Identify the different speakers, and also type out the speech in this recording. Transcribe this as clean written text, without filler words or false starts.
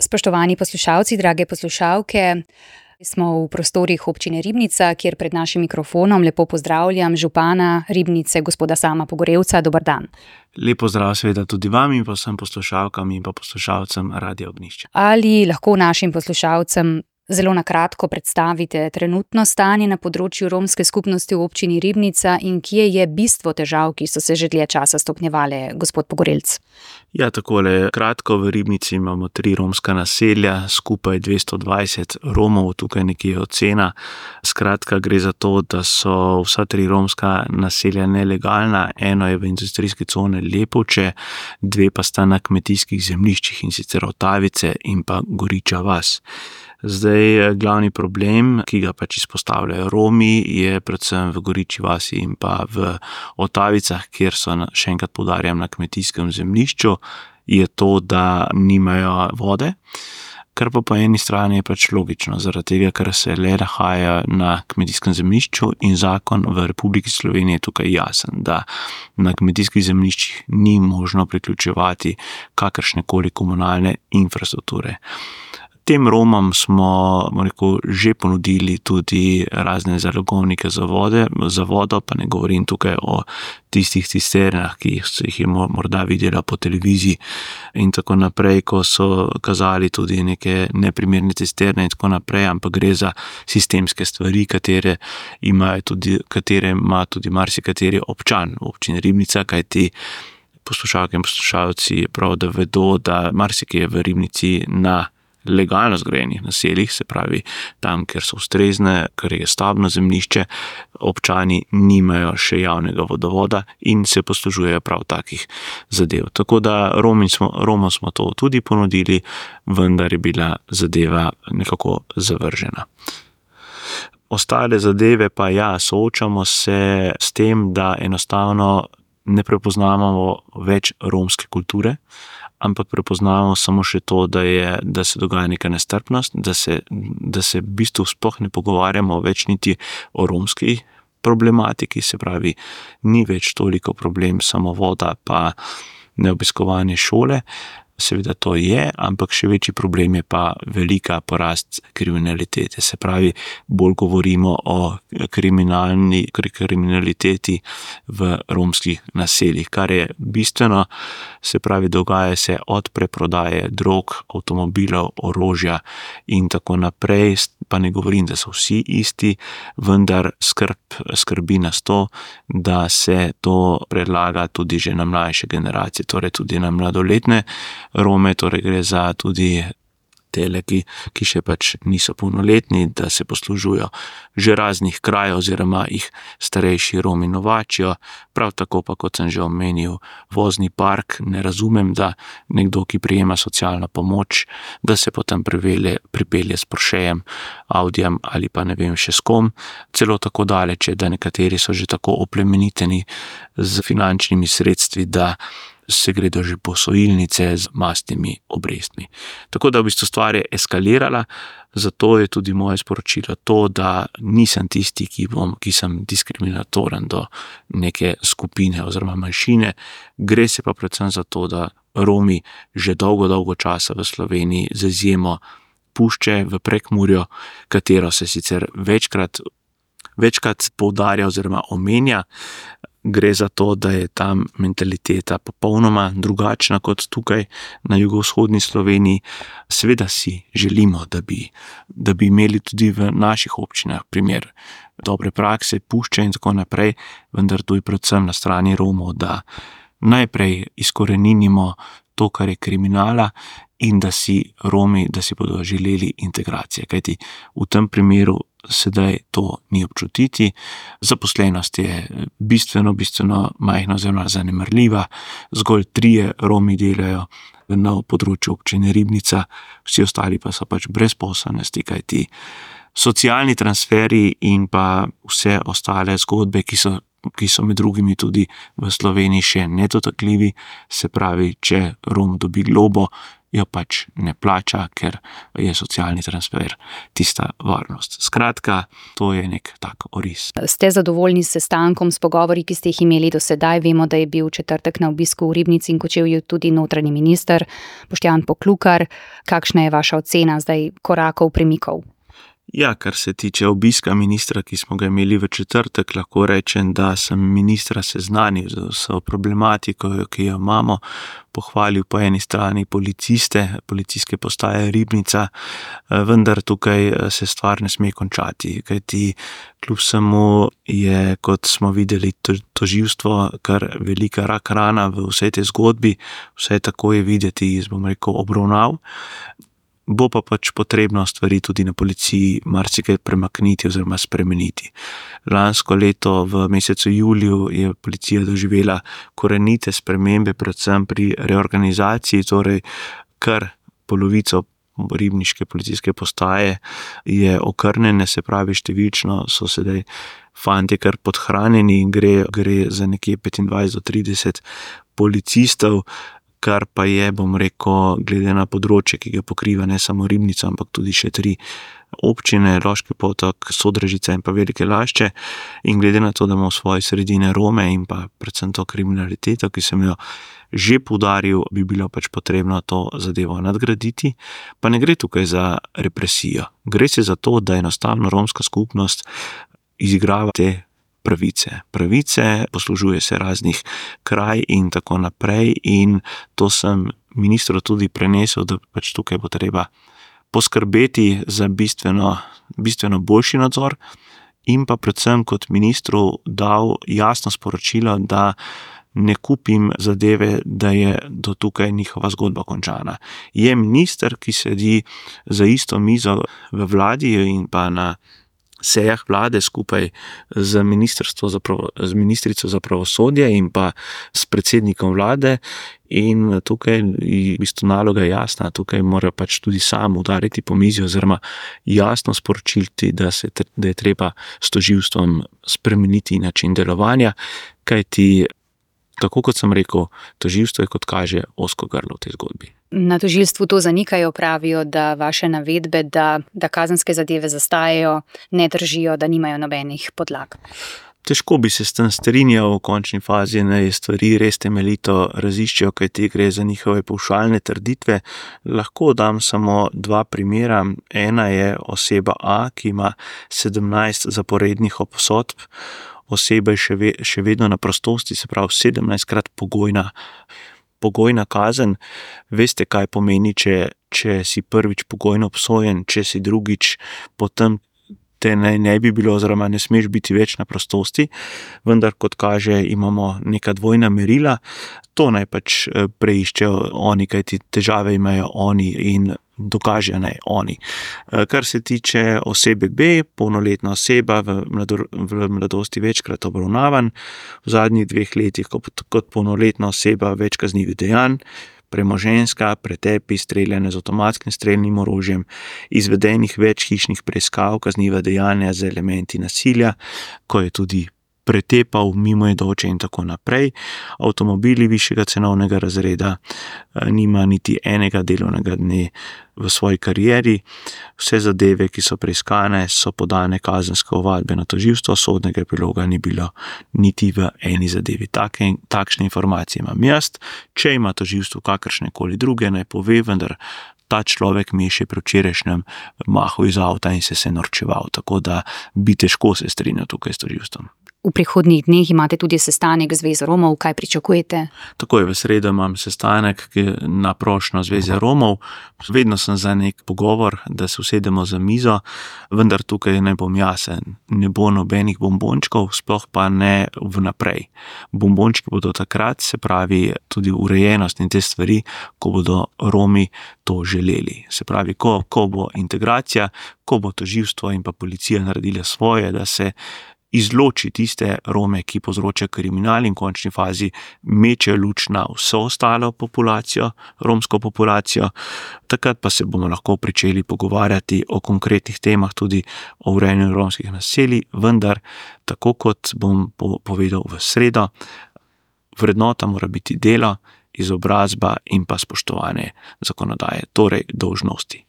Speaker 1: Spoštovani poslušalci, drage poslušalke, smo v prostorih občine Ribnica, kjer pred našim mikrofonom lepo pozdravljam župana Ribnice, gospoda Sama Pogorelca. Dober dan.
Speaker 2: Lep pozdrav seveda tudi vam in pa vsem poslušalkam in pa poslušalcem Radia Ognjišče.
Speaker 1: Ali lahko našim poslušalcem zelo na kratko predstavite trenutno stanje na področju romske skupnosti v občini Ribnica in kje je bistvo težav, ki so se že dlje časa stopnjevale, gospod Pogorelc?
Speaker 2: Ja, takole kratko, v Ribnici imamo 3 romska naselja, skupaj 220 Romov, tukaj nekje je ocena. Skratka, gre za to, da so vsa 3 romska naselja nelegalna, eno je v industrijski coni Lepovče, 2 pa sta na kmetijskih zemljiščih, in sicer Otavice in pa Goriča vas. Zdaj, glavni problem, ki ga pač izpostavljajo Romi, je predvsem v Goriči vasi in pa v Otavicah, kjer so, še enkrat poudarjam, na kmetijskem zemljišču, je to, da nimajo vode, kar pa po eni strani je pač logično, zaradi tega, ker se le nahaja na kmetijskem zemljišču in zakon v Republiki Sloveniji je tukaj jasen, da na kmetijskih zemljiščih ni možno priključevati kakršnekoli komunalne infrastrukture. Tem Romom smo, že ponudili tudi razne zalogovnike za vodo, pa ne govorim tukaj o tistih cisternah, ki jih je morda videla po televiziji in tako naprej, ko so kazali tudi neke neprimerne cisterne in tako naprej, ampak gre za sistemske stvari, katere ima tudi marsikateri občan v občini Ribnica, kajti poslušalke in poslušalci prav, da vedo, da marsikje v Ribnici na legalno zgrajenih naseljih, se pravi tam, kjer so ustrezne, ker je stavbno zemljišče, občani nimajo še javnega vodovoda in se poslužujejo prav takih zadev. Tako da Romom smo to tudi ponudili, vendar je bila zadeva nekako zavržena. Ostale zadeve pa soočamo se s tem, da enostavno ne prepoznavamo več romske kulture, ampak prepoznavamo samo še to, da se dogaja neka nestrpnost, da se v bistvu sploh ne pogovarjamo več niti o romski problematiki, se pravi, ni več toliko problem samo voda pa neobiskovanje šole. Seveda to je, ampak še večji problem je pa velika porast kriminalitete. Se pravi, bolj govorimo o kriminaliteti v romskih naseljih, kar je bistveno, se pravi, dogaja se od preprodaje drog, avtomobilov, orožja in tako naprej, pa ne govorim, da so vsi isti, vendar skrbi nas to, da se to predlaga tudi že na mlajše generacije, torej tudi na mladoletne Rome, torej gre za tudi tele, ki še pač niso polnoletni, da se poslužujo že raznih krajev oziroma jih starejši Romi novačijo. Prav tako pa, kot sem že omenil, vozni park, ne razumem, da nekdo, ki prejema socialno pomoč, da se potem pripelje s Porschejem, Audijem ali pa ne vem še s kom, celo tako daleč, da nekateri so že tako oplemeniteni z finančnimi sredstvi, da se gredo že posojilnice z mastnimi obrestmi. Tako da v bistvu stvar je eskalirala, zato je tudi moje sporočilo to, da nisem tisti, ki sem diskriminatoren do neke skupine oziroma manjšine. Gre se pa predvsem za to, da Romi že dolgo časa v Sloveniji z izjemo Pušče v Prekmurju, katero se sicer večkrat poudarja oziroma omenja. Gre za to, da je tam mentaliteta popolnoma drugačna kot tukaj na jugovzhodni Sloveniji. Seveda si želimo, da bi imeli tudi v naših občinah primer dobre prakse, Pušče in tako naprej, vendar tu je predvsem na strani Romov, da najprej izkoreninimo to, kar je kriminala, in da si Romi, da si bodo želeli integracije. Kajti v tem primeru sedaj to ni občutiti. Zaposlenost je bistveno majhna oziroma zanemarljiva. Zgolj 3 Romi delajo na področju občine Ribnica, vsi ostali pa so pač brezposelnosti, kajti socialni transferi in pa vse ostale zgodbe, ki so med drugimi tudi v Sloveniji še nedotakljivi, se pravi, če Rom dobi globo, jo pač ne plača, ker je socialni transfer tista varnost. Skratka, to je nek tak oris.
Speaker 1: Ste zadovoljni s sestankom, s pogovori, ki ste jih imeli do sedaj? Vemo, da je bil v četrtek na obisku v Ribnici in Kočevju tudi notranji minister Boštjan Poklukar. Kakšna je vaša ocena zdaj korakov, premikov?
Speaker 2: Ja, kar se tiče obiska ministra, ki smo ga imeli v četrtek, lahko rečem, da sem ministra seznanil z vso problematiko, ki jo imamo, pohvalil po eni strani policijske postaje Ribnica, vendar tukaj se stvar ne sme končati, kajti kljub vsemu je, kot smo videli, tožilstvo kar velika rak rana v vsej tej zgodbi, vse tako je videti iz, obravnav. Bo pa pač potrebno stvari tudi na policiji marsikaj premakniti oziroma spremeniti. Lansko leto v mesecu juliju je policija doživela korenite spremembe, predvsem pri reorganizaciji, torej kar polovico ribniške policijske postaje je okrnjene, se pravi številčno so sedaj fantje kar podhranjeni in gre za nekje 25 do 30 policistov, kar pa je, glede na področje, ki ga pokriva ne samo Ribnica, ampak tudi še 3 občine, Loški Potok, Sodražica in pa Velike Lašče. In glede na to, da imamo v svoji sredini Rome in pa predvsem to kriminaliteto, ki sem jo že poudaril, bi bilo pač potrebno to zadevo nadgraditi. Pa ne gre tukaj za represijo. Gre se za to, da enostavno romska skupnost izigrava te pravice, poslužuje se raznih kraj in tako naprej, in to sem ministru tudi prenesel, da pač tukaj bo treba poskrbeti za bistveno boljši nadzor in pa predvsem kot ministru dal jasno sporočilo, da ne kupim zadeve, da je do tukaj njihova zgodba končana. Je minister, ki sedi za isto mizo v vladi in pa na sejah vlade skupaj z ministrico za pravosodje in pa s predsednikom vlade, in tukaj je v bistvu naloga jasna, tukaj mora pač tudi sam udariti po mizi oziroma jasno sporočiti, da je treba s tožilstvom spremeniti način delovanja, kajti tako kot sem rekel, tožilstvo je, kot kaže, ozko grlo v tej zgodbi.
Speaker 1: Na tožilstvu to zanikajo, pravijo, da vaše navedbe, da kazenske zadeve zastajajo, ne držijo, da nimajo nobenih podlag.
Speaker 2: Težko bi se s tem strinjal, v končni fazi naj stvari res temeljito raziščejo, kajti gre za njihove pavšalne trditve. Lahko dam samo 2 primera. Ena je oseba A, ki ima 17 zaporednih obsodb. Oseba je še vedno na prostosti, se pravi 17-krat pogojna kazen. Veste, kaj pomeni, če si prvič pogojno obsojen, če si drugič, potem te ne bi bilo oziroma ne smeš biti več na prostosti, vendar kot kaže imamo neka dvojna merila. To naj pač preiščejo oni, kajti težave imajo oni in dokažejo naj oni. Kar se tiče osebe B, polnoletna oseba v mladosti večkrat obravnavan, v zadnjih 2 letih kot polnoletna oseba več kaznivih dejanj, premoženjska, pretepi, streljanje z avtomatskim strelnim orožjem, izvedenih več hišnih preiskav, kazniva dejanja z elementi nasilja, ko je tudi pretepal mimoidoče in tako naprej. Avtomobili višjega cenovnega razreda, nima niti enega delovnega dne v svoji karieri. Vse zadeve, ki so preiskane, so podane kazenske ovadbe na tožilstvo, sodnega epiloga ni bilo niti v eni zadevi. Takšne informacije imam jaz. Če ima tožilstvo kakršnekoli druge, naj pove, vendar ta človek mi je še pri včerajšnjem mahal iz avta in se norčeval, tako da bi težko se strinjal tukaj s tožilstvom.
Speaker 1: V prihodnjih dneh imate tudi sestanek Zveze Romov, kaj pričakujete?
Speaker 2: Takoj v sredo imam sestanek na prošnjo Zveze Romov. Vedno sem za nek pogovor, da se usedemo za mizo, vendar tukaj ne bom jasen. Ne bo nobenih bombončkov, sploh pa ne vnaprej. Bombončki bodo takrat, se pravi tudi urejenost in te stvari, ko bodo Romi to želeli. Se pravi, ko bo integracija, ko bo tožilstvo in pa policija naredila svoje, da se izloči tiste Rome, ki povzročajo kriminal in v končni fazi meče luč na vso ostalo populacijo, romsko populacijo. Takrat pa se bomo lahko pričeli pogovarjati o konkretnih temah, tudi o urejanju romskih naselij, vendar, tako kot bom povedal v sredo, vrednota mora biti delo izobrazba in pa spoštovanje zakonodaje, torej dolžnosti.